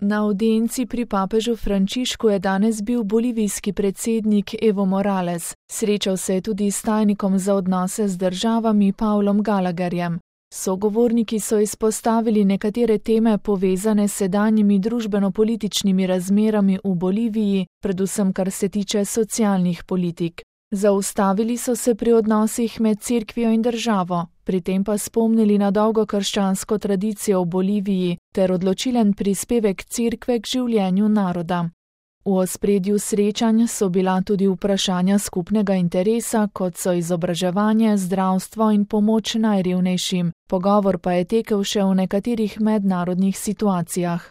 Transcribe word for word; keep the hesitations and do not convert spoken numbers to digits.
Na avdienci pri papežu Frančišku je danes bil bolivijski predsednik Evo Morales. Srečal se je tudi s tajnikom za odnose z državami Pavlom Gallagherjem. Sogovorniki so izpostavili nekatere teme povezane s sedanjimi družbeno-političnimi razmerami v Boliviji, predvsem kar se tiče socialnih politik. Zaustavili so se pri odnosih med cerkvijo in državo, pri tem pa spomnili na dolgo krščansko tradicijo v Boliviji ter odločilen prispevek cerkve k življenju naroda. V ospredju srečanj so bila tudi vprašanja skupnega interesa, kot so izobraževanje, zdravstvo in pomoč najrevnejšim. Pogovor pa je tekel še v nekaterih mednarodnih situacijah.